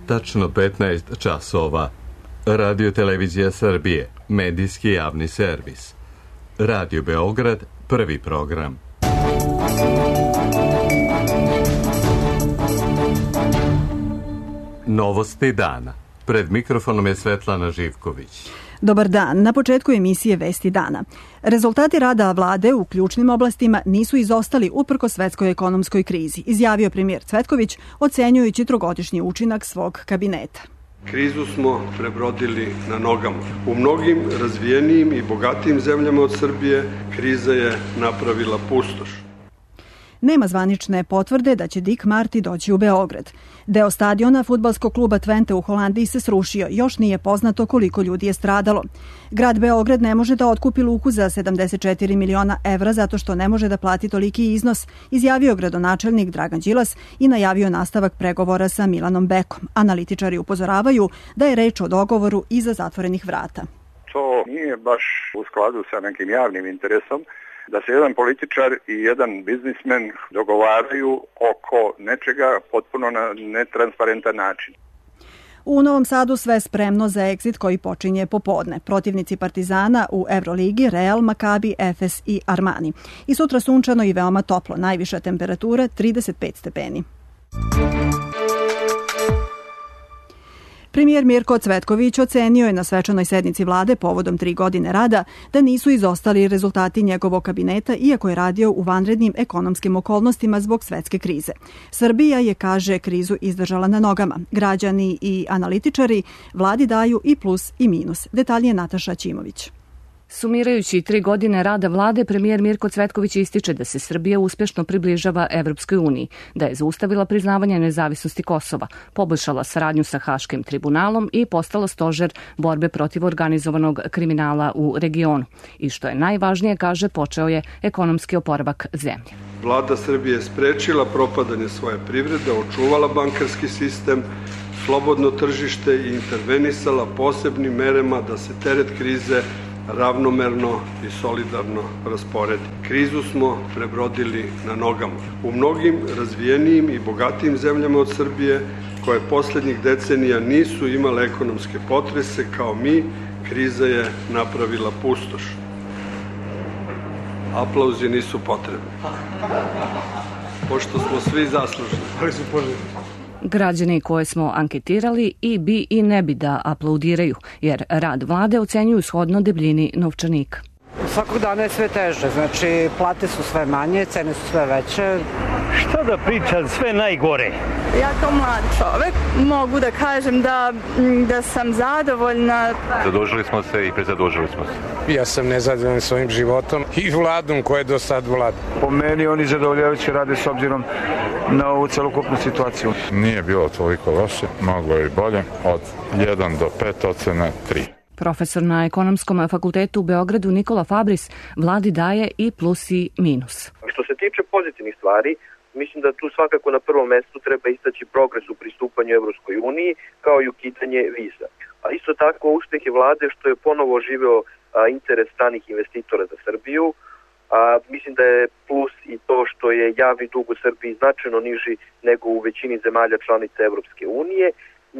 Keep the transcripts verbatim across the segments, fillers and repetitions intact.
Tačno petnaest časova. Radio Televizija Srbije, medijski javni servis. Radio Beograd, prvi program. Novosti dana. Pred mikrofonom je Svetlana Živković. Dobar dan. Na početku emisije Vesti dana. Rezultati rada vlade u ključnim oblastima nisu izostali uprkos svetskoj ekonomskoj krizi, izjavio premijer Cvetković, ocenjujući trogodišnji učinak svog kabineta. Krizu smo prebrodili na nogama. U mnogim razvijenijim i bogatijim zemljama od Srbije kriza je napravila pustoš. Nema zvanične potvrde da će Dick Marty doći u Beograd. Deo stadiona fudbalskog kluba Twente u Holandiji se srušio. Još nije poznato koliko ljudi je stradalo. Grad Beograd ne može da otkupi luku za sedamdeset četiri miliona evra zato što ne može da plati toliki iznos, izjavio gradonačelnik Dragan Đilas i najavio nastavak pregovora sa Milanom Bekom. Analitičari upozoravaju da je reč o dogovoru iza zatvorenih vrata. To nije baš u skladu sa nekim javnim interesom, da se jedan političar i jedan biznismen dogovaraju oko nečega potpuno na netransparentan način. U Novom Sadu sve spremno za egzit koji počinje popodne. Protivnici Partizana u Evroligi, Real, Makabi, Efes i Armani. I sutra sunčano i veoma toplo, najviša temperatura trideset pet stepeni. Premijer Mirko Cvetković ocenio je na svečanoj sednici vlade povodom tri godine rada da nisu izostali rezultati njegovog kabineta, iako je radio u vanrednim ekonomskim okolnostima zbog svetske krize. Srbija je, kaže, krizu izdržala na nogama. Građani i analitičari vladi daju i plus i minus. Detalje Nataša Ćimović. Sumirajući tri godine rada vlade, premijer Mirko Cvetković ističe da se Srbija uspješno približava Evropskoj uniji, da je zaustavila priznavanje nezavisnosti Kosova, poboljšala saradnju sa Haškim tribunalom i postala stožer borbe protiv organizovanog kriminala u regionu. I što je najvažnije, kaže, počeo je ekonomski oporavak zemlje. Vlada Srbije je sprečila propadanje svoje privrede, očuvala bankarski sistem, slobodno tržište i intervenisala posebnim merama da se teret krize ravnomerno i solidarno rasporedi. Krizu smo prebrodili na nogama. U mnogim razvijenijim i bogatijim zemljama od Srbije, koje poslednjih decenija nisu imale ekonomske potrese kao mi, kriza je napravila pustoš. Aplauzi nisu potrebni, pošto smo svi zaslužni. Ali su poželjni. Građani koje smo anketirali i bi i ne bi da aplaudiraju, jer rad vlade ocenjuju shodno debljini novčanika. Svakog dana je sve teže, znači plate su sve manje, cene su sve veće. Šta da pričam, sve najgore. Ja kao mlad čovek mogu da kažem da, da sam zadovoljna. Zadužili smo se i prezadužili smo se. Ja sam nezadovoljan svojim životom i vladom koje je do sad vlada. Po meni oni zadovoljavajući rade s obzirom na ovu celokupnu situaciju. Nije bilo toliko loše, moglo je i bolje, od jedan do pet ocena tri. Profesor na Ekonomskom fakultetu u Beogradu Nikola Fabris vladi daje i plus i minus. Što se tiče pozitivnih stvari, mislim da tu svakako na prvom mestu treba istaći progres u pristupanju Evropskoj uniji, kao i ukidanje viza. A isto tako uspeh je vlade što je ponovo oživeo interes stranih investitora za Srbiju. A, mislim da je plus i to što je javni dug u Srbiji značajno niži nego u većini zemalja članica Evropske unije.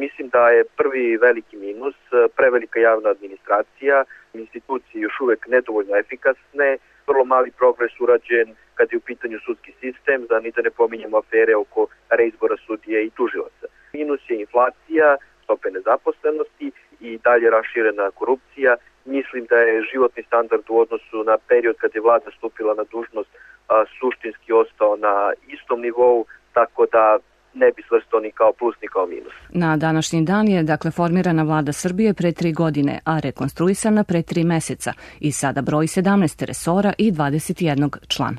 Mislim da je prvi veliki minus prevelika javna administracija, institucije još uvek nedovoljno efikasne, vrlo mali progres urađen kad je u pitanju sudski sistem, da ni da ne pominjemo afere oko reizbora sudije i tužilaca. Minus je inflacija, stope nezaposlenosti i dalje raširena korupcija. Mislim da je životni standard u odnosu na period kad je vlada stupila na dužnost a, suštinski ostao na istom nivou, tako da ne bi svrstao ni kao plus ni kao minus. Na današnji dan je dakle formirana vlada Srbije pre tri godine, a rekonstruisana pre tri meseca i sada broji sedamnaest resora i dvadeset jedan člana.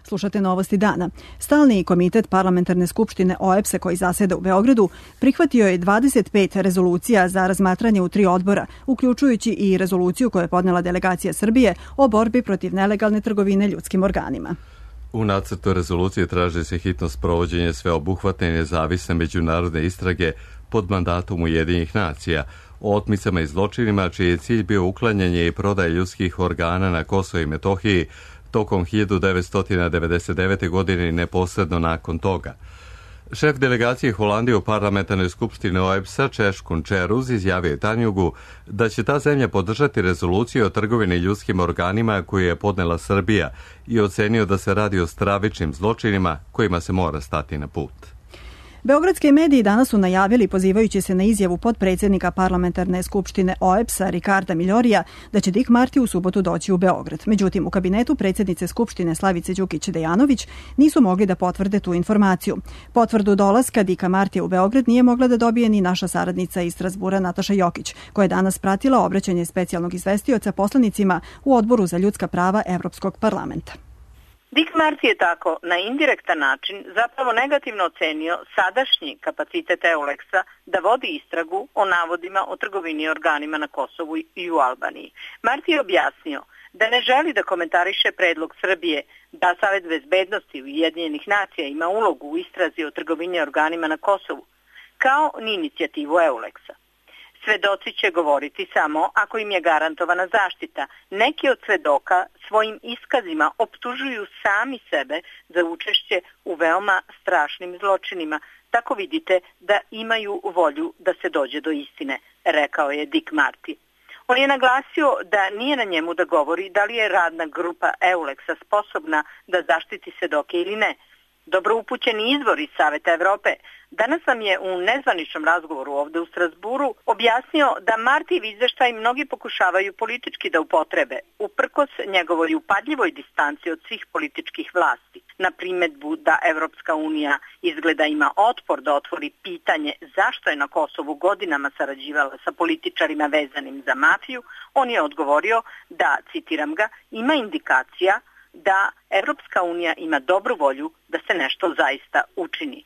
Slušate Novosti dana. Stalni komitet Parlamentarne skupštine O E B S-a koji zaseda u Beogradu prihvatio je dvadeset pet rezolucija za razmatranje u tri odbora, uključujući i rezoluciju koju je podnela delegacija Srbije o borbi protiv nelegalne trgovine ljudskim organima. U nacrtu rezolucije traži se hitno sprovođenje sveobuhvatne i nezavisne međunarodne istrage pod mandatom Ujedinjenih nacija o otmicama i zločinima čiji je cilj bio uklanjanje i prodaje ljudskih organa na Kosovu i Metohiji tokom hiljadu devetsto devedeset devete. godine i neposredno nakon toga. Šef delegacije Holandije u parlamentarnoj skupštini O E B S-a Češkun Čeruz izjavio je Tanjugu da će ta zemlja podržati rezoluciju o trgovini ljudskim organima koju je podnela Srbija i ocenio da se radi o stravičnim zločinima kojima se mora stati na put. Beogradski mediji danas su najavili, pozivajući se na izjavu potpredsjednika parlamentarne skupštine O E B S-a Ricarda Miljorija, da će Dik Marti u subotu doći u Beograd. Međutim, u kabinetu predsjednice skupštine Slavice Đukić-Dejanović nisu mogli da potvrde tu informaciju. Potvrdu dolaska Dika Martija u Beograd nije mogla da dobije ni naša saradnica iz Strazbura Nataša Jokić, koja je danas pratila obraćanje specijalnog izvestioca poslanicima u Odboru za ljudska prava Evropskog parlamenta. Dik Marti je tako na indirektan način zapravo negativno ocenio sadašnji kapacitet Euleksa da vodi istragu o navodima o trgovini organima na Kosovu i u Albaniji. Marti je objasnio da ne želi da komentariše predlog Srbije da Savet bezbednosti Ujedinjenih nacija ima ulogu u istrazi o trgovini organima na Kosovu, kao ni inicijativu Euleksa. Svedoci će govoriti samo ako im je garantovana zaštita. Neki od svedoka svojim iskazima optužuju sami sebe za učešće u veoma strašnim zločinima. Tako vidite da imaju volju da se dođe do istine, rekao je Dik Marti. On je naglasio da nije na njemu da govori da li je radna grupa Euleksa sposobna da zaštiti svedoke ili ne. Dobro upućeni izvor iz Saveta Evrope danas nam je u nezvaničnom razgovoru ovde u Strazburu objasnio da Martijev izveštaj mnogi pokušavaju politički da upotrebe, uprkos njegovoj upadljivoj distanci od svih političkih vlasti. Na primedbu da Evropska unija izgleda ima otpor da otvori pitanje zašto je na Kosovu godinama sarađivala sa političarima vezanim za mafiju, on je odgovorio da, citiram ga, ima indikacija da Evropska unija ima dobru volju da se nešto zaista učini.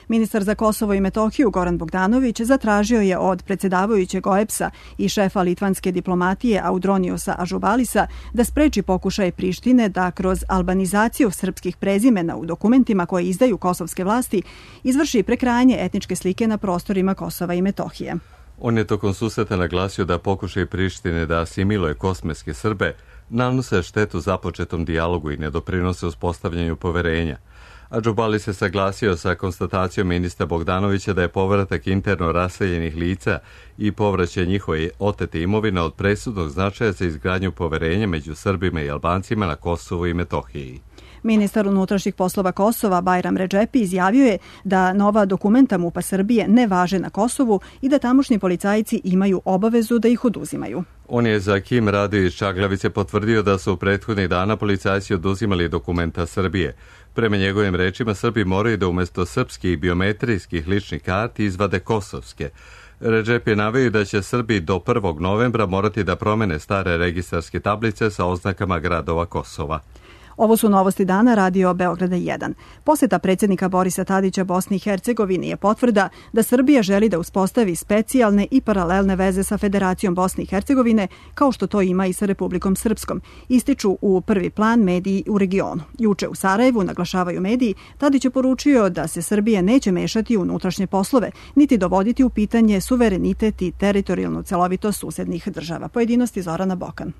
Ministar za Kosovo i Metohiju Goran Bogdanović zatražio je od predsjedavajućeg O E B S-a i šefa litvanske diplomatije Audroniosa Ažubalisa da spreči pokušaje Prištine da kroz albanizaciju srpskih prezimena u dokumentima koje izdaju kosovske vlasti izvrši prekrajanje etničke slike na prostorima Kosova i Metohije. On je tokom susreta naglasio da pokušaj Prištine da asimiluje kosovske Srbe nanose štetu započetom dijalogu i ne doprinose uspostavljanju poverenja. Adžubali se saglasio sa konstatacijom ministra Bogdanovića da je povratak interno raseljenih lica i povraćaj njihove otete imovine od presudnog značaja za izgradnju poverenja među Srbima i Albancima na Kosovu i Metohiji. Ministar unutrašnjih poslova Kosova Bajram Redžepi izjavio je da nova dokumenta MUP-a Srbije ne važe na Kosovu i da tamošnji policajci imaju obavezu da ih oduzimaju. On je za Kim radio iz Čaglavice potvrdio da su u prethodnih dana policajci oduzimali dokumenta Srbije. Prema njegovim rečima, Srbi moraju da umjesto srpskih biometrijskih ličnih karti izvade kosovske. Redžep je naveo da će Srbi do prvog novembra morati da promene stare registarske tablice sa oznakama gradova Kosova. Ovo su novosti dana Radio Beograda jedan. Posjeta predsjednika Borisa Tadića Bosni i Hercegovini je potvrda da Srbija želi da uspostavi specijalne i paralelne veze sa Federacijom Bosne i Hercegovine, kao što to ima i sa Republikom Srpskom, ističu u prvi plan mediji u regionu. Juče u Sarajevu, naglašavaju mediji, Tadić je poručio da se Srbija neće mešati u unutrašnje poslove, niti dovoditi u pitanje suverenitet i teritorijalnu celovitost susednih država. Pojedinosti Zorana Bokan.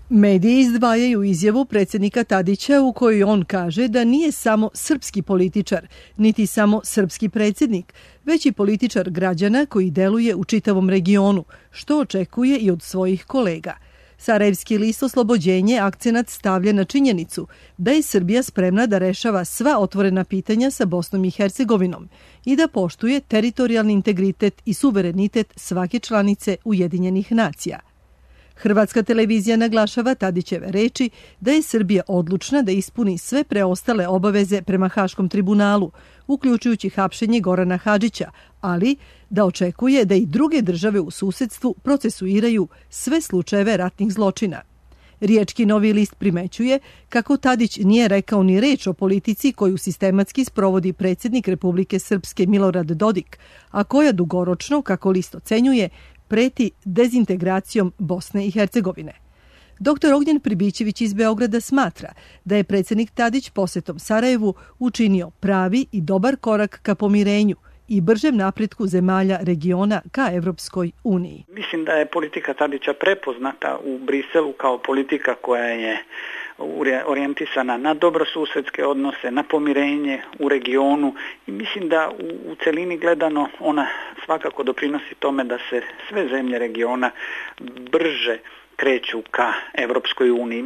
Mediji izdvajaju izjavu predsjednika Tadića u kojoj on kaže da nije samo srpski političar, niti samo srpski predsjednik, već i političar građana koji deluje u čitavom regionu, što očekuje i od svojih kolega. Sarajevski list Oslobođenje akcenat stavlja na činjenicu da je Srbija spremna da rešava sva otvorena pitanja sa Bosnom i Hercegovinom i da poštuje teritorijalni integritet i suverenitet svake članice Ujedinjenih nacija. Hrvatska televizija naglašava Tadićeve reči da je Srbija odlučna da ispuni sve preostale obaveze prema Haškom tribunalu, uključujući hapšenje Gorana Hadžića, ali da očekuje da i druge države u susedstvu procesuiraju sve slučajeve ratnih zločina. Riječki Novi list primećuje kako Tadić nije rekao ni reč o politici koju sistematski sprovodi predsjednik Republike Srpske Milorad Dodik, a koja dugoročno, kako list ocenjuje, preti dezintegracijom Bosne i Hercegovine. Doktor Ognjen Pribićević iz Beograda smatra da je predsjednik Tadić posjetom Sarajevu učinio pravi i dobar korak ka pomirenju i bržem napretku zemalja regiona ka Evropskoj uniji. Mislim da je politika Tadića prepoznata u Briselu kao politika koja je orijentisana na dobrosusedske odnose, na pomirenje u regionu i mislim da u, u celini gledano ona svakako doprinosi tome da se sve zemlje regiona brže kreću ka Evropskoj uniji.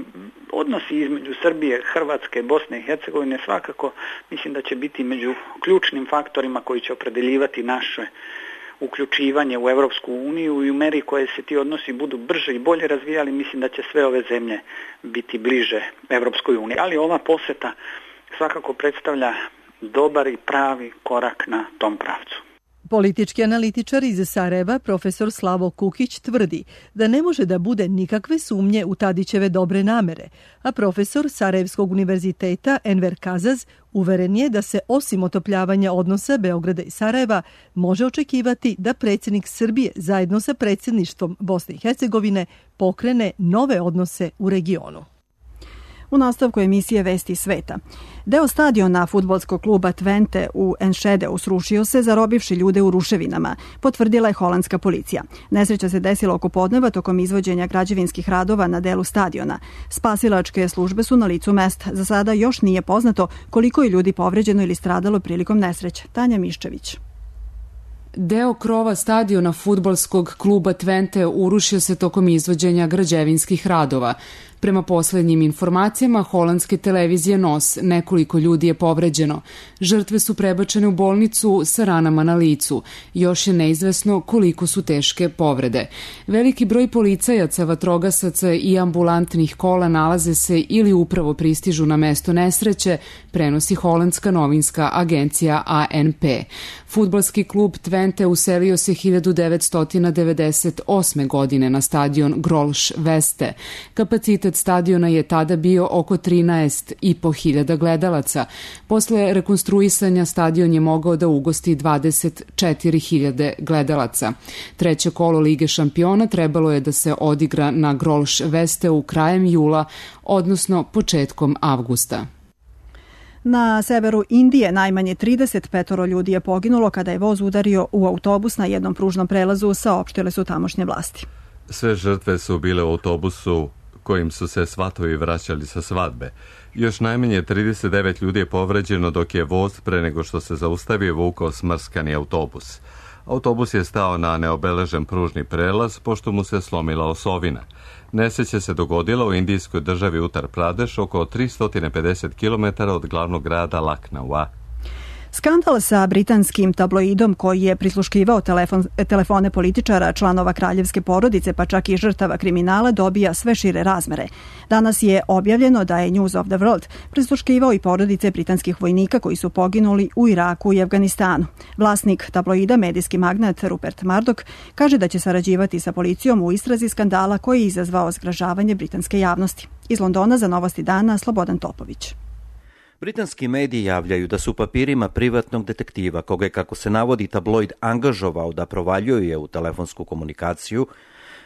Odnosi između Srbije, Hrvatske, Bosne i Hercegovine svakako mislim da će biti među ključnim faktorima koji će opredeljivati naše uključivanje u Evropsku uniju i u meri koje se ti odnosi budu brže i bolje razvijali, mislim da će sve ove zemlje biti bliže Evropskoj uniji. Ali ova poseta svakako predstavlja dobar i pravi korak na tom pravcu. Politički analitičar iz Sarajeva, profesor Slavo Kukić, tvrdi da ne može da bude nikakve sumnje u Tadićeve dobre namere, a profesor Sarajevskog univerziteta Enver Kazaz uveren je da se osim otopljavanja odnosa Beograda i Sarajeva može očekivati da predsjednik Srbije zajedno sa predsjedništvom Bosne i Hercegovine pokrene nove odnose u regionu. U nastavku emisije Vesti sveta. Deo stadiona fudbalskog kluba Twente u Enschedeu srušio se zarobivši ljude u ruševinama, potvrdila je holandska policija. Nesreća se desila oko podneva tokom izvođenja građevinskih radova na delu stadiona. Spasilačke službe su na licu mesta. Za sada još nije poznato koliko je ljudi povređeno ili stradalo prilikom nesreće. Tanja Miščević. Deo krova stadiona fudbalskog kluba Twente urušio se tokom izvođenja građevinskih radova. Prema poslednjim informacijama holandske televizije N O S, nekoliko ljudi je povređeno. Žrtve su prebačene u bolnicu sa ranama na licu. Još je neizvesno koliko su teške povrede. Veliki broj policajaca, vatrogasaca i ambulantnih kola nalaze se ili upravo pristižu na mesto nesreće, prenosi holandska novinska agencija A N P. Fudbalski klub Twente uselio se hiljadu devetsto devedeset osme. godine na stadion Grolsch Veste. Kapacitet stadiona je tada bio oko trinaest i po hiljada gledalaca. Posle rekonstruisanja stadion je mogao da ugosti dvadeset četiri hiljade gledalaca. Treće kolo Lige šampiona trebalo je da se odigra na Grolsch Vesteu krajem jula, odnosno početkom avgusta. Na severu Indije najmanje trideset pet ljudi je poginulo kada je voz udario u autobus na jednom pružnom prelazu, saopštile su tamošnje vlasti. Sve žrtve su bile u autobusu kojim su se svatovi vraćali sa svadbe. Još najmanje trideset devet ljudi je povređeno dok je voz pre nego što se zaustavio vukao smrskani autobus. Autobus je stao na neobeležen pružni prelaz pošto mu se slomila osovina. Nesreća se dogodila u indijskoj državi Uttar Pradeš oko tristo pedeset kilometara od glavnog grada Laknaua. Skandal sa britanskim tabloidom koji je prisluškivao telefon, telefone političara, članova kraljevske porodice pa čak i žrtava kriminala dobija sve šire razmere. Danas je objavljeno da je News of the World prisluškivao i porodice britanskih vojnika koji su poginuli u Iraku i Afganistanu. Vlasnik tabloida, medijski magnat Rupert Murdoch, kaže da će sarađivati sa policijom u istrazi skandala koji je izazvao zgražavanje britanske javnosti. Iz Londona za Novosti dana Slobodan Topović. Britanski mediji javljaju da su papirima privatnog detektiva, koga je, kako se navodi, tabloid angažovao da provaljuje u telefonsku komunikaciju,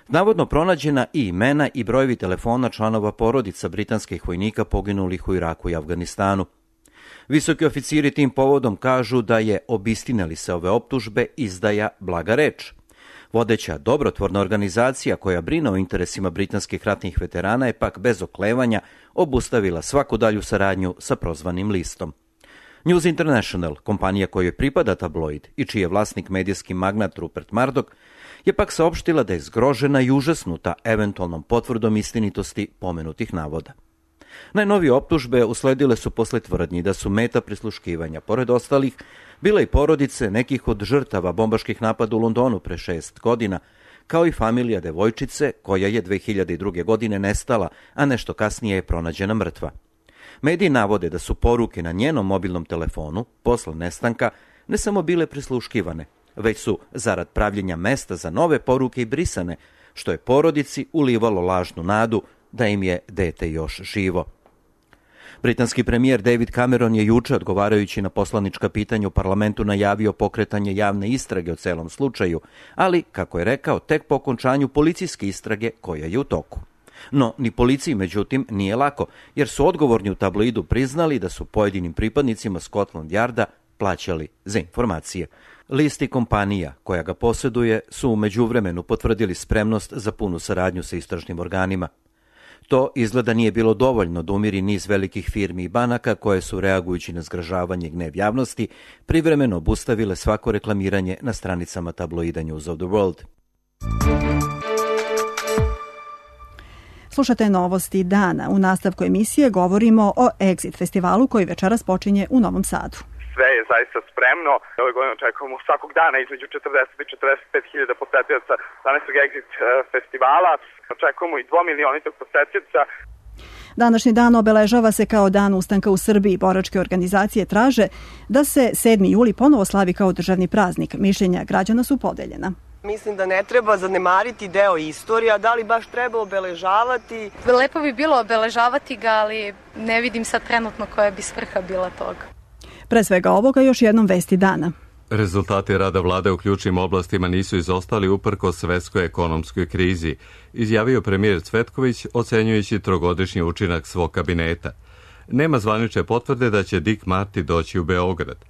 navodno pronađena i imena i brojevi telefona članova porodica britanskih vojnika poginulih u Iraku i Afganistanu. Visoki oficiri tim povodom kažu da je, obistinili se ove optužbe, izdaja blaga reč. Vodeća dobrotvorna organizacija koja brine o interesima britanskih ratnih veterana je pak bez oklevanja obustavila svaku dalju saradnju sa prozvanim listom. News International, kompanija kojoj pripada tabloid i čiji je vlasnik medijski magnat Rupert Murdoch, je pak saopštila da je zgrožena i užasnuta eventualnom potvrdom istinitosti pomenutih navoda. Najnovije optužbe usledile su posle tvrdnji da su meta prisluškivanja, pored ostalih, bile i porodice nekih od žrtava bombaških napada u Londonu pre šest godina, kao i familija devojčice koja je dve hiljade druge. godine nestala, a nešto kasnije je pronađena mrtva. Mediji navode da su poruke na njenom mobilnom telefonu, posle nestanka, ne samo bile prisluškivane, već su, zarad pravljenja mesta za nove poruke, i brisane, što je porodici ulivalo lažnu nadu da im je dete još živo. Britanski premijer David Cameron je juče, odgovarajući na poslanička pitanja u parlamentu, najavio pokretanje javne istrage o celom slučaju, ali, kako je rekao, tek po okončanju policijske istrage koja je u toku. No, ni policiji, međutim, nije lako, jer su odgovorni u tabloidu priznali da su pojedinim pripadnicima Scotland Yarda plaćali za informacije. Listi kompanija koja ga posjeduje su u međuvremenu potvrdili spremnost za punu saradnju sa istražnim organima. To izgleda nije bilo dovoljno da umiri niz velikih firmi i banaka koje su, reagujući na zgražavanje i gnev javnosti, privremeno obustavile svako reklamiranje na stranicama tabloida News of the World. Slušate novosti dana. U nastavku emisije govorimo o Exit festivalu koji večeras počinje u Novom Sadu. Sve je zaista spremno. Ove godine očekujemo svakog dana između četrdeset i četrdeset pet hiljada posetioca današnjeg Exit festivala. Očekujemo i dvomilionitog posetioca. Današnji dan obeležava se kao dan ustanka u Srbiji. Boračke organizacije traže da se sedmi juli ponovo slavi kao državni praznik. Mišljenja građana su podeljena. Mislim da ne treba zanemariti deo istorija, da li baš treba obeležavati? Lepo bi bilo obeležavati ga, ali ne vidim sad trenutno koja bi svrha bila toga. Pre svega ovoga još jednom vesti dana. Rezultati rada vlade u ključnim oblastima nisu izostali uprkos svetskoj ekonomskoj krizi, izjavio premijer Cvetković ocenjujući trogodišnji učinak svog kabineta. Nema zvanične potvrde da će Dick Marty doći u Beograd.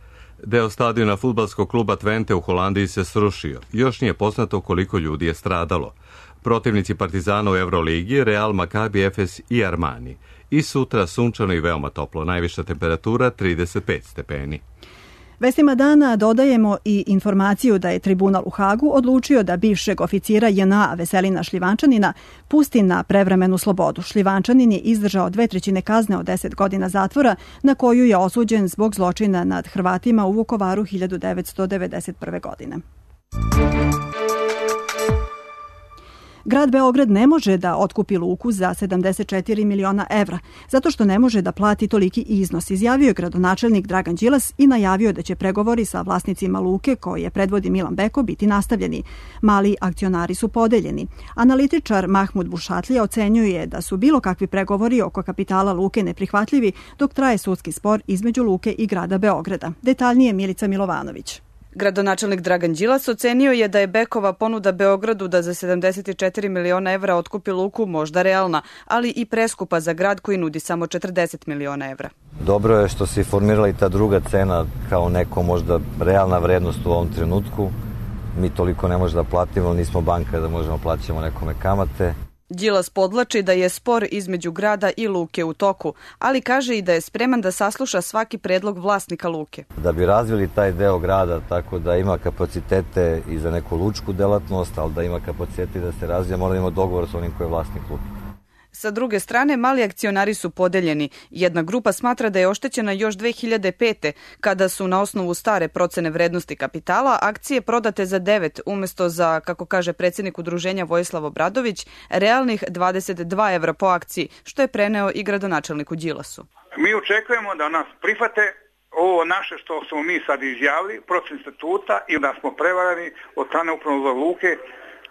Deo stadiona fudbalskog kluba Twente u Holandiji se srušio. Još nije poznato koliko ljudi je stradalo. Protivnici Partizana u Euroligi, Real, Maccabi, Efes i Armani. I sutra sunčano i veoma toplo, najviša temperatura trideset pet stepeni. Vestima dana dodajemo i informaciju da je tribunal u Hagu odlučio da bivšeg oficira J N A Veselina Šljivančanina pusti na prevremenu slobodu. Šljivančanin je izdržao dve trećine kazne od deset godina zatvora na koju je osuđen zbog zločina nad Hrvatima u Vukovaru hiljadu devetsto devedeset prve. godine. Grad Beograd ne može da otkupi luku za sedamdeset četiri miliona evra, zato što ne može da plati toliki iznos, izjavio je gradonačelnik Dragan Đilas i najavio da će pregovori sa vlasnicima luke, koje predvodi Milan Beko, biti nastavljeni. Mali akcionari su podeljeni. Analitičar Mahmud Bušatlija ocenjuje da su bilo kakvi pregovori oko kapitala luke neprihvatljivi dok traje sudski spor između luke i grada Beograda. Detaljnije Milica Milovanović. Gradonačelnik Dragan Đilas ocenio je da je Bekova ponuda Beogradu da za sedamdeset četiri miliona evra otkupi luku možda realna, ali i preskupa za grad koji nudi samo četrdeset miliona evra. Dobro je što se formirala i ta druga cena kao neko možda realna vrednost u ovom trenutku. Mi toliko ne možemo da platimo, nismo banka da možemo plaćamo nekome kamate. Đilas podlači da je spor između grada i luke u toku, ali kaže i da je spreman da sasluša svaki predlog vlasnika luke. Da bi razvili taj deo grada tako da ima kapacitete i za neku lučku delatnost, ali da ima kapacitete da se razvija, mora da ima dogovor sa onim koji je vlasnik luke. Sa druge strane, mali akcionari su podeljeni. Jedna grupa smatra da je oštećena još dve hiljade pete. kada su na osnovu stare procene vrednosti kapitala akcije prodate za devet umesto za, kako kaže predsjednik udruženja Vojislav Obradović, realnih dvadeset dva evra po akciji, što je preneo i gradonačelniku Đilasu. Mi očekujemo da nas prihvate ovo naše što smo mi sad izjavili, procen statuta, i da smo prevarani od strane upravnog luke,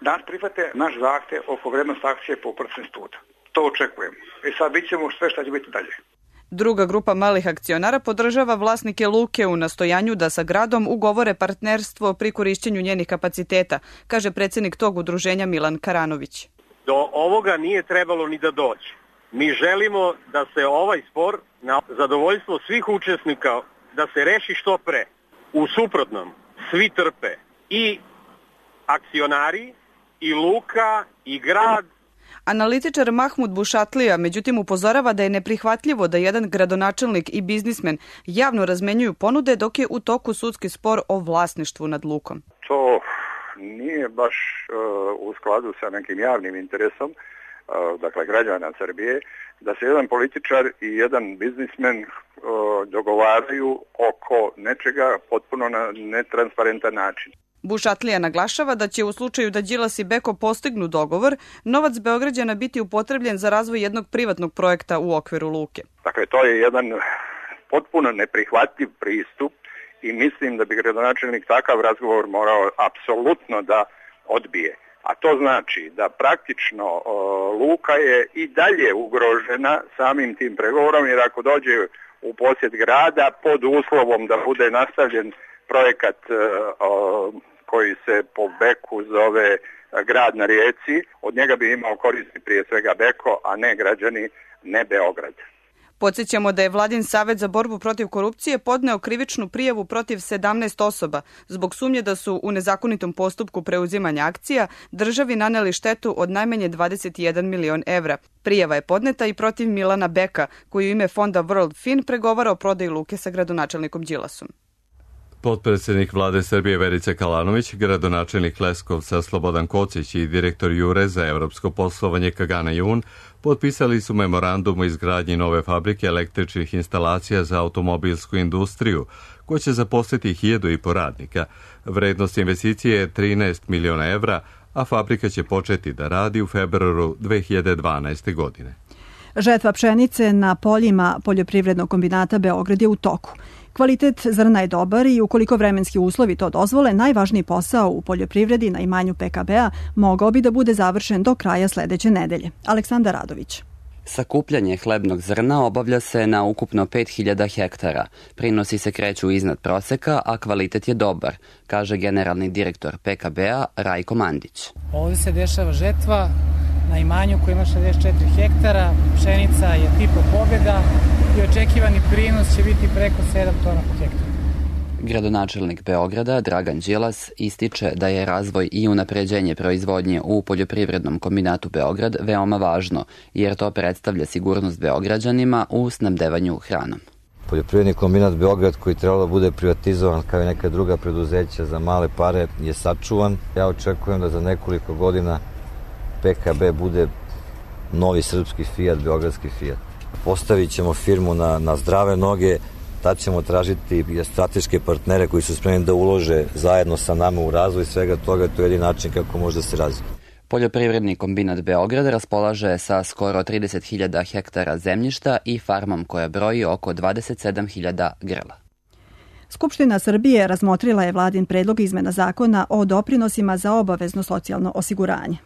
da nas prihvate naš zahtev oko vrednosti akcije po procen statuta. To očekujemo. I sad bit ćemo sve što će biti dalje. Druga grupa malih akcionara podržava vlasnike luke u nastojanju da sa gradom ugovore partnerstvo pri korišćenju njenih kapaciteta, kaže predsjednik tog udruženja Milan Karanović. Do ovoga nije trebalo ni da dođe. Mi želimo da se ovaj spor na zadovoljstvo svih učesnika da se reši što pre. U suprotnom, svi trpe, i akcionari, i luka, i grad. Analitičar Mahmud Bušatlija međutim upozorava da je neprihvatljivo da jedan gradonačelnik i biznismen javno razmenjuju ponude dok je u toku sudski spor o vlasništvu nad lukom. To nije baš uh, u skladu sa nekim javnim interesom, uh, dakle građana Srbije, da se jedan političar i jedan biznismen uh, dogovaraju oko nečega potpuno na netransparentan način. Bušatlija naglašava da će u slučaju da Đilas i Beko postignu dogovor, novac Beograđana biti upotrebljen za razvoj jednog privatnog projekta u okviru luke. Dakle, to je jedan potpuno neprihvatljiv pristup i mislim da bi gradonačelnik takav razgovor morao apsolutno da odbije. A to znači da praktično o, luka je i dalje ugrožena samim tim pregovorom, jer ako dođe u posjed grada pod uslovom da bude nastavljen projekat o, koji se po Beku zove Grad na rijeci, od njega bi imao koristi prije svega Beko, a ne građani, ne Beograd. Podsjećamo da je Vladin Savet za borbu protiv korupcije podneo krivičnu prijavu protiv sedamnaest osoba zbog sumnje da su u nezakonitom postupku preuzimanja akcija državi naneli štetu od najmanje dvadeset jedan milion evra. Prijava je podneta i protiv Milana Beka, koji u ime fonda World Fin pregovara o prodaji luke sa gradonačelnikom Đilasom. Potpredsjednik vlade Srbije Verica Kalanović, gradonačelnik Leskovca Slobodan Kocić i direktor Jure za evropsko poslovanje Kagana Jun potpisali su memorandum o izgradnji nove fabrike električnih instalacija za automobilsku industriju, koja će zaposliti hiljadu i po radnika. Vrednost investicije je trinaest miliona evra, a fabrika će početi da radi u februaru dve hiljade dvanaeste. godine. Žetva pšenice na poljima Poljoprivrednog kombinata Beograd je u toku. Kvalitet zrna je dobar i ukoliko vremenski uslovi to dozvole, najvažniji posao u poljoprivredi na imanju P K B-a mogao bi da bude završen do kraja sledeće nedelje. Aleksandar Radović. Sakupljanje hlebnog zrna obavlja se na ukupno pet hiljada hektara. Prinosi se kreću iznad proseka, a kvalitet je dobar, kaže generalni direktor P K B-a Rajko Mandić. Ovdje se dešava žetva na imanju koji ima šezdeset četiri hektara, pšenica je tipa Pobjeda i očekivani prinos će biti preko sedam tona po hektaru. Gradonačelnik Beograda Dragan Đilas ističe da je razvoj i unapređenje proizvodnje u Poljoprivrednom kombinatu Beograd veoma važno, jer to predstavlja sigurnost Beograđanima u snabdevanju hranom. Poljoprivredni kombinat Beograd, koji trebalo da bude privatizovan kao i neka druga preduzeća za male pare, je sačuvan. Ja očekujem da za nekoliko godina P K B bude novi srpski Fiat, beogradski Fiat. Postavit ćemo firmu na, na zdrave noge, tad ćemo tražiti strateške partnere koji su spremni da ulože zajedno sa nama u razvoj svega toga, to je jedini način kako može da se razvije. Poljoprivredni kombinat Beograd raspolaže sa skoro trideset hiljada hektara zemljišta i farmom koja broji oko dvadeset sedam hiljada grla. Skupština Srbije razmotrila je vladin predlog izmena zakona o doprinosima za obavezno socijalno osiguranje.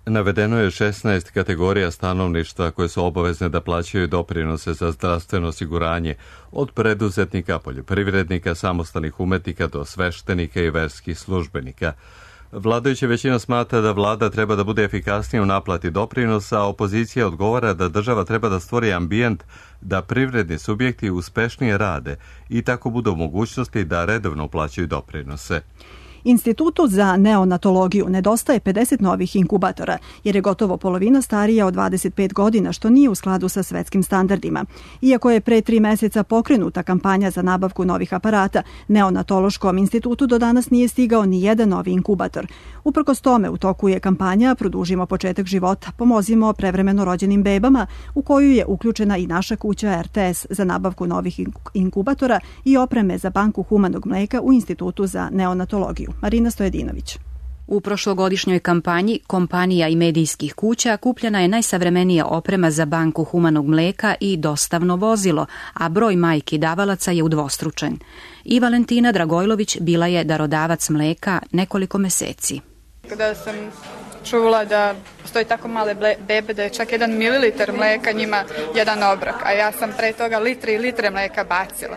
Navedeno je šesnaest kategorija stanovništva koje su obavezne da plaćaju doprinose za zdravstveno osiguranje, od preduzetnika, poljoprivrednika, samostalnih umetnika do sveštenika i verskih službenika. Vladajuća većina smatra da vlada treba da bude efikasnija u naplati doprinosa, a opozicija odgovara da država treba da stvori ambijent da privredni subjekti uspešnije rade i tako budu u mogućnosti da redovno plaćaju doprinose. Institutu za neonatologiju nedostaje pedeset novih inkubatora, jer je gotovo polovina starija od dvadeset pet godina, što nije u skladu sa svetskim standardima. Iako je pre tri meseca pokrenuta kampanja za nabavku novih aparata, neonatološkom institutu do danas nije stigao ni jedan novi inkubator. Uprkos tome, u toku je kampanja Produžimo početak života, pomozimo prevremeno rođenim bebama, u koju je uključena i naša kuća R T S za nabavku novih inkubatora i opreme za banku humanog mleka u Institutu za neonatologiju. Marina Stojedinović. U prošlogodišnjoj kampanji kompanija i medijskih kuća kupljena je najsavremenija oprema za banku humanog mleka i dostavno vozilo, a broj majki davalaca je udvostručen. I Valentina Dragojlović bila je darodavac mleka nekoliko meseci. Kada sam čula da postoji tako male bebe da je čak jedan mililitar mleka njima jedan obrok, a ja sam pre toga litre i litre mleka bacila.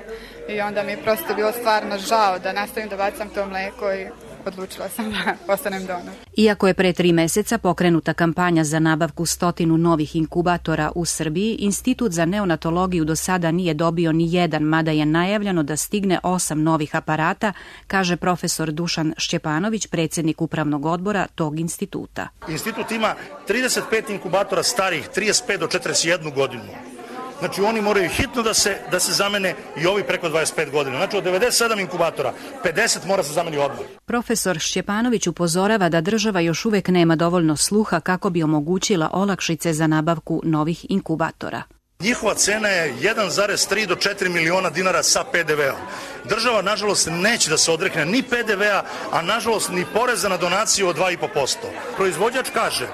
I onda mi je prosto bilo stvarno žao da nastavim da bacam to mleko i odlučila sam da postanem donor. Iako je pre tri meseca pokrenuta kampanja za nabavku stotinu novih inkubatora u Srbiji, Institut za neonatologiju do sada nije dobio ni jedan, mada je najavljeno da stigne osam novih aparata, kaže profesor Dušan Šćepanović, predsjednik upravnog odbora tog instituta. Institut ima trideset pet inkubatora starih trideset pet do četrdeset jednu godinu. Znači oni moraju hitno da se, da se zamene i ovi preko dvadeset pet godina. Znači od devedeset sedam inkubatora, pedeset mora se zameni odmah. Profesor Šćepanović upozorava da država još uvek nema dovoljno sluha kako bi omogućila olakšice za nabavku novih inkubatora. Njihova cena je jedan zarez tri do četiri miliona dinara sa P D V-om. Država, nažalost, neće da se odrekne ni P D V-a, a nažalost ni poreza na donaciju od dva i po posto. Proizvođač kaže: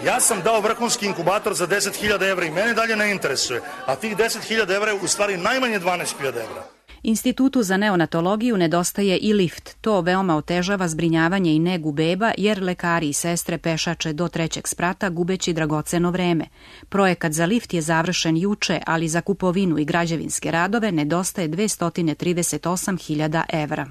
ja sam dao vrhunski inkubator za deset hiljada evra i mene dalje ne interesuje, a tih deset hiljada evra je u stvari najmanje dvanaest hiljada evra. Institutu za neonatologiju nedostaje i lift. To veoma otežava zbrinjavanje i negu beba, jer lekari i sestre pešače do trećeg sprata gubeći dragoceno vreme. Projekat za lift je završen juče, ali za kupovinu i građevinske radove nedostaje dvesta trideset osam hiljada evra.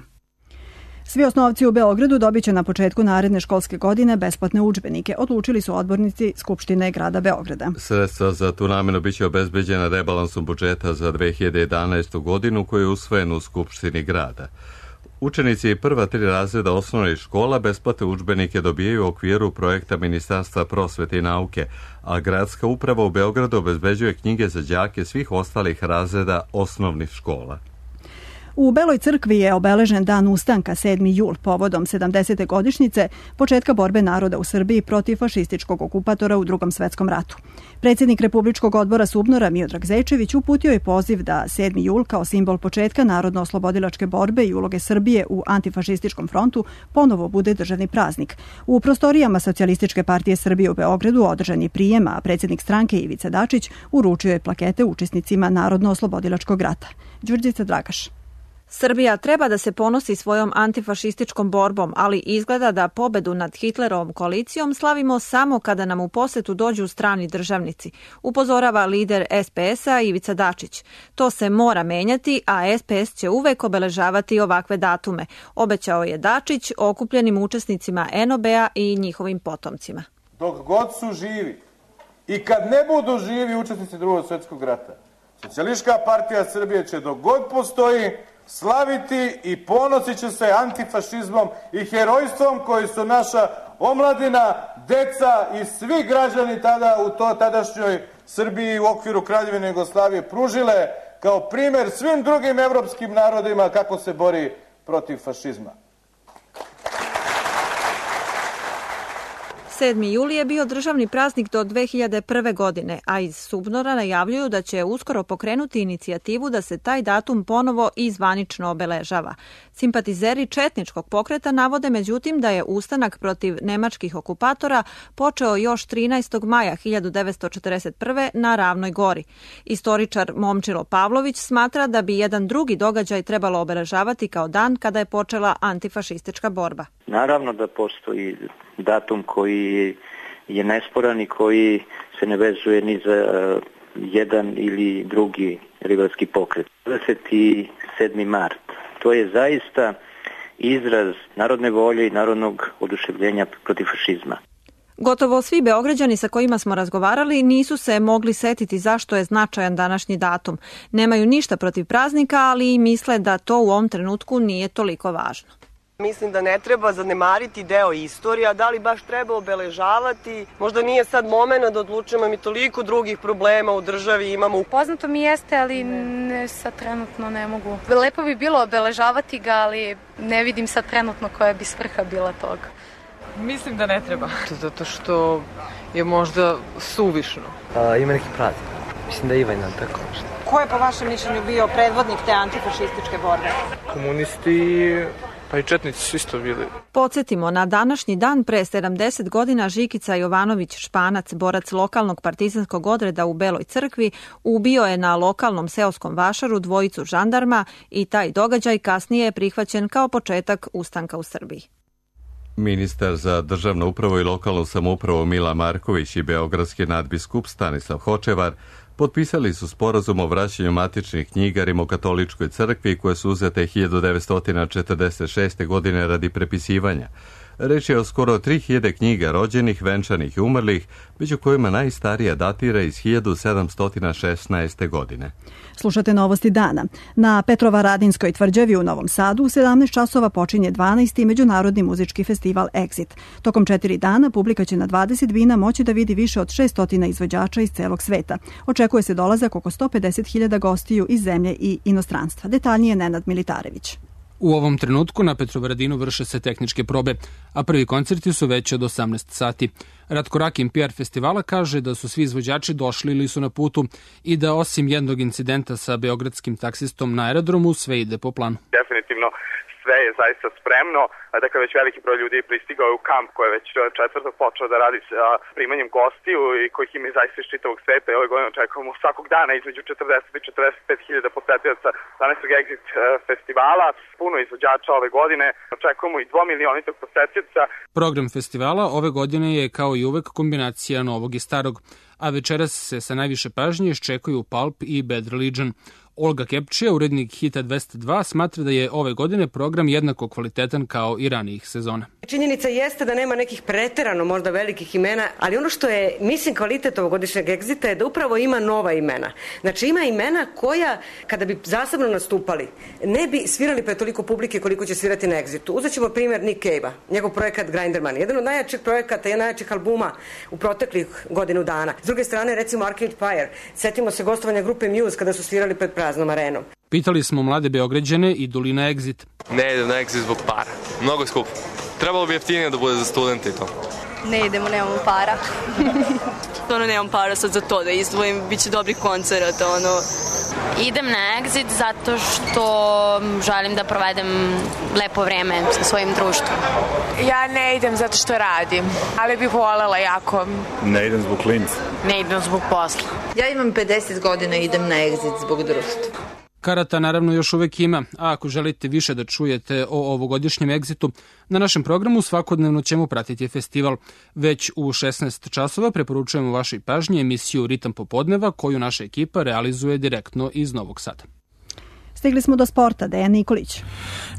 Svi osnovci u Beogradu dobit će na početku naredne školske godine besplatne udžbenike, odlučili su odbornici Skupštine grada Beograda. Sredstva za tu namenu biće obezbeđena rebalansom budžeta za dve hiljade jedanaestu godinu koji je usvojen u Skupštini grada. Učenici prva tri razreda osnovnih škola besplatne udžbenike dobijaju u okviru projekta Ministarstva prosvete i nauke, a gradska uprava u Beogradu obezbeđuje knjige za đake svih ostalih razreda osnovnih škola. U Beloj crkvi je obeležen dan ustanka sedmi jul povodom sedamdesete godišnjice početka borbe naroda u Srbiji protiv fašističkog okupatora u Drugom svetskom ratu. Predsjednik Republičkog odbora SUBNOR-a Miodrag Zečević uputio je poziv da sedmi jul kao simbol početka narodno-oslobodilačke borbe i uloge Srbije u antifašističkom frontu ponovo bude državni praznik. U prostorijama Socijalističke partije Srbije u Beogradu održan je prijem, a predsjednik stranke Ivica Dačić uručio je plakete učesnicima narodno-oslobodilačkog rata. Đurđica Dragaš. Srbija treba da se ponosi svojom antifašističkom borbom, ali izgleda da pobedu nad Hitlerovom koalicijom slavimo samo kada nam u posetu dođu strani državnici, upozorava lider S P S-a Ivica Dačić. To se mora menjati, a S P S će uvek obeležavati ovakve datume, obećao je Dačić okupljenim učesnicima N O B-a i njihovim potomcima. Dok god su živi i kad ne budu živi učesnici Drugog svjetskog rata, Socijalistička partija Srbije će dok god postoji slaviti i ponosit će se antifašizmom i herojstvom koji su naša omladina, deca i svi građani tada u to tadašnjoj Srbiji u okviru Kraljevine Jugoslavije pružile kao primer svim drugim evropskim narodima kako se bori protiv fašizma. sedmi jul je bio državni praznik do dve hiljade prve. godine, a iz SUBNOR-a najavljuju da će uskoro pokrenuti inicijativu da se taj datum ponovo i zvanično obeležava. Simpatizeri četničkog pokreta navode međutim da je ustanak protiv nemačkih okupatora počeo još trinaestog maja hiljadu devetsto četrdeset prve. na Ravnoj gori. Istoričar Momčilo Pavlović smatra da bi jedan drugi događaj trebalo obeležavati kao dan kada je počela antifašistička borba. Naravno da postoji datum koji je nesporan i koji se ne vezuje ni za jedan ili drugi rivalski pokret. dvadeset sedmi mart. To je zaista izraz narodne volje i narodnog oduševljenja protiv fašizma. Gotovo svi Beograđani sa kojima smo razgovarali nisu se mogli setiti zašto je značajan današnji datum. Nemaju ništa protiv praznika, ali i misle da to u ovom trenutku nije toliko važno. Mislim da ne treba zanemariti deo istorije, a da li baš treba obeležavati? Možda nije sad moment da odlučujemo, mi toliko drugih problema u državi imamo. Poznato mi jeste, ali ne, sad trenutno ne mogu. Lepo bi bilo obeležavati ga, ali ne vidim sad trenutno koja bi svrha bila toga. Mislim da ne treba. Zato što je možda suvišno. A, ima neki praznik. Mislim da je Ivan tako nešto. Ko je po vašem mišljenju bio predvodnik te antifašističke borbe? Komunisti, pa i četnici su isto bili. Podsjetimo, na današnji dan pre sedamdeset godina Žikica Jovanović Španac, borac lokalnog partizanskog odreda u Beloj crkvi, ubio je na lokalnom seoskom vašaru dvojicu žandarma i taj događaj kasnije je prihvaćen kao početak ustanka u Srbiji. Ministar za državnu upravu i lokalnu samoupravu Mila Marković i beogradski nadbiskup Stanislav Hočevar potpisali su sporazum o vraćanju matičnih knjiga Rimokatoličkoj crkvi koje su uzete hiljadu devetsto četrdeset šeste. godine radi prepisivanja. Reč je o skoro tri hiljade knjiga rođenih, venčanih i umrlih, među kojima najstarija datira iz hiljadu sedamsto šesnaeste. godine. Slušate novosti dana. Na Petrovaradinskoj tvrđavi u Novom Sadu u sedamnaest časova počinje dvanaesti. međunarodni muzički festival Exit. Tokom četiri dana publika će na dvadeset bina moći da vidi više od šessto izvođača iz celog sveta. Očekuje se dolazak oko sto pedeset hiljada gostiju iz zemlje i inostranstva. Detaljnije Nenad Militarević. U ovom trenutku na Petrovaradinu vrše se tehničke probe, a prvi koncerti su već od osamnaest sati. Ratko Rakin, P R festivala, kaže da su svi izvođači došli ili su na putu i da osim jednog incidenta sa beogradskim taksistom na aerodromu sve ide po planu. Definitivno sve je zaista spremno, dakle već veliki broj ljudi je pristigao u kamp koji je već četvrtog počeo da radi sa primanjem gostiju i kojih ima zaista iz čitavog sveta i ove godine očekujemo svakog dana između četrdeset i četrdeset pet hiljada posetioca današnjeg Exit festivala, puno izvođača ove godine, očekujemo i dvomilionitog posetioca. Program festivala ove godine je kao i uvek kombinacija novog i starog, a večeras se sa najviše pažnje iščekuju Pulp i Bad Religion. Olga Kepčija, urednik Hita dvesta dva, smatra da je ove godine program jednako kvalitetan kao i ranijih sezona. Činjenica jeste da nema nekih preterano možda velikih imena, ali ono što je, mislim, kvalitet ovogodišnjeg Exita je da upravo ima nova imena. Znači ima imena koja, kada bi zasebno nastupali, ne bi svirali pre toliko publike koliko će svirati na Exitu. Uzet ćemo primjer Nick Cave-a, njegov projekat Grinderman, jedan od najjačih projekata i najjačih albuma u proteklih godinu dana. S druge strane, recimo Arcade Fire, setimo se gostovanja grupe Muse kada su svirali pred praznom arenom. Pitali smo mlade Beograđane idu li na Exit. Ne idem na Exit zbog para. Mnogo skupo. Trebalo bi jeftinije da bude za studente i to. Ne idemo, nemamo para. Ono, nemam para sad za to da izdvojim, bit će dobri koncert, ono. Idem na Exit zato što želim da provedem lepo vreme sa svojim društvom. Ja ne idem zato što radim, ali bih voljela jako. Ne idem zbog klinca. Ne idem zbog posla. Ja imam pedeset godina i idem na Exit zbog društva. Karata naravno još uvek ima, a ako želite više da čujete o ovogodišnjem Exitu, na našem programu svakodnevno ćemo pratiti festival. Već u šesnaest časova preporučujemo vašoj pažnji emisiju Ritam popodneva koju naša ekipa realizuje direktno iz Novog Sada. Stigli smo do sporta, Dejan Nikolić.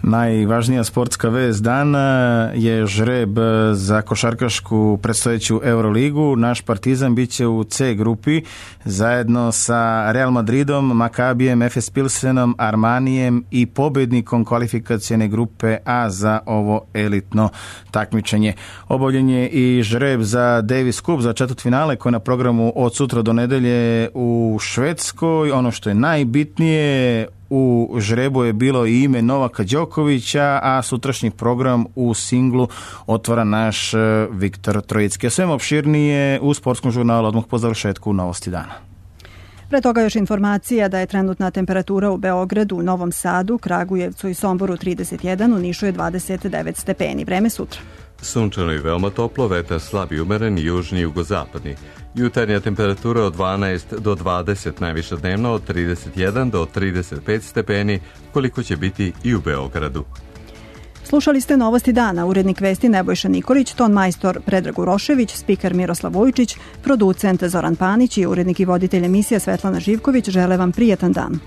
Najvažnija sportska vest dana je žreb za košarkašku predstojeću Euroligu. Naš Partizan biće u C grupi zajedno sa Real Madridom, Makabijem, Efes Pilsenom, Armanijem i pobednikom kvalifikacione grupe A za ovo elitno takmičenje. Obavljen je i žreb za Davis Cup za četvrtfinale koji je na programu od sutra do nedelje u Švedskoj. Ono što je najbitnije, u žrebu je bilo i ime Novaka Đokovića, a sutrašnji program u singlu otvara naš Viktor Trojicki. A svema opširnije u sportskom žurnalu odmah po završetku Novosti dana. Pre toga još informacija da je trenutna temperatura u Beogradu, Novom Sadu, Kragujevcu i Somboru trideset jedan, u Nišu je dvadeset devet stepeni. Vreme sutra. Sunčano i veoma toplo, vetar slab i umeren, južni i jugozapadni. Jutarnja temperatura od dvanaest do dvadeset, najviša dnevno od trideset jedan do trideset pet stepeni, koliko će biti i u Beogradu. Slušali ste Novosti dana, urednik vesti Nebojša Nikolić, ton majstor Predrag Urošević, spiker Miroslav Vujčić, producent Zoran Panić i urednik i voditelj emisija Svetlana Živković žele vam prijatan dan.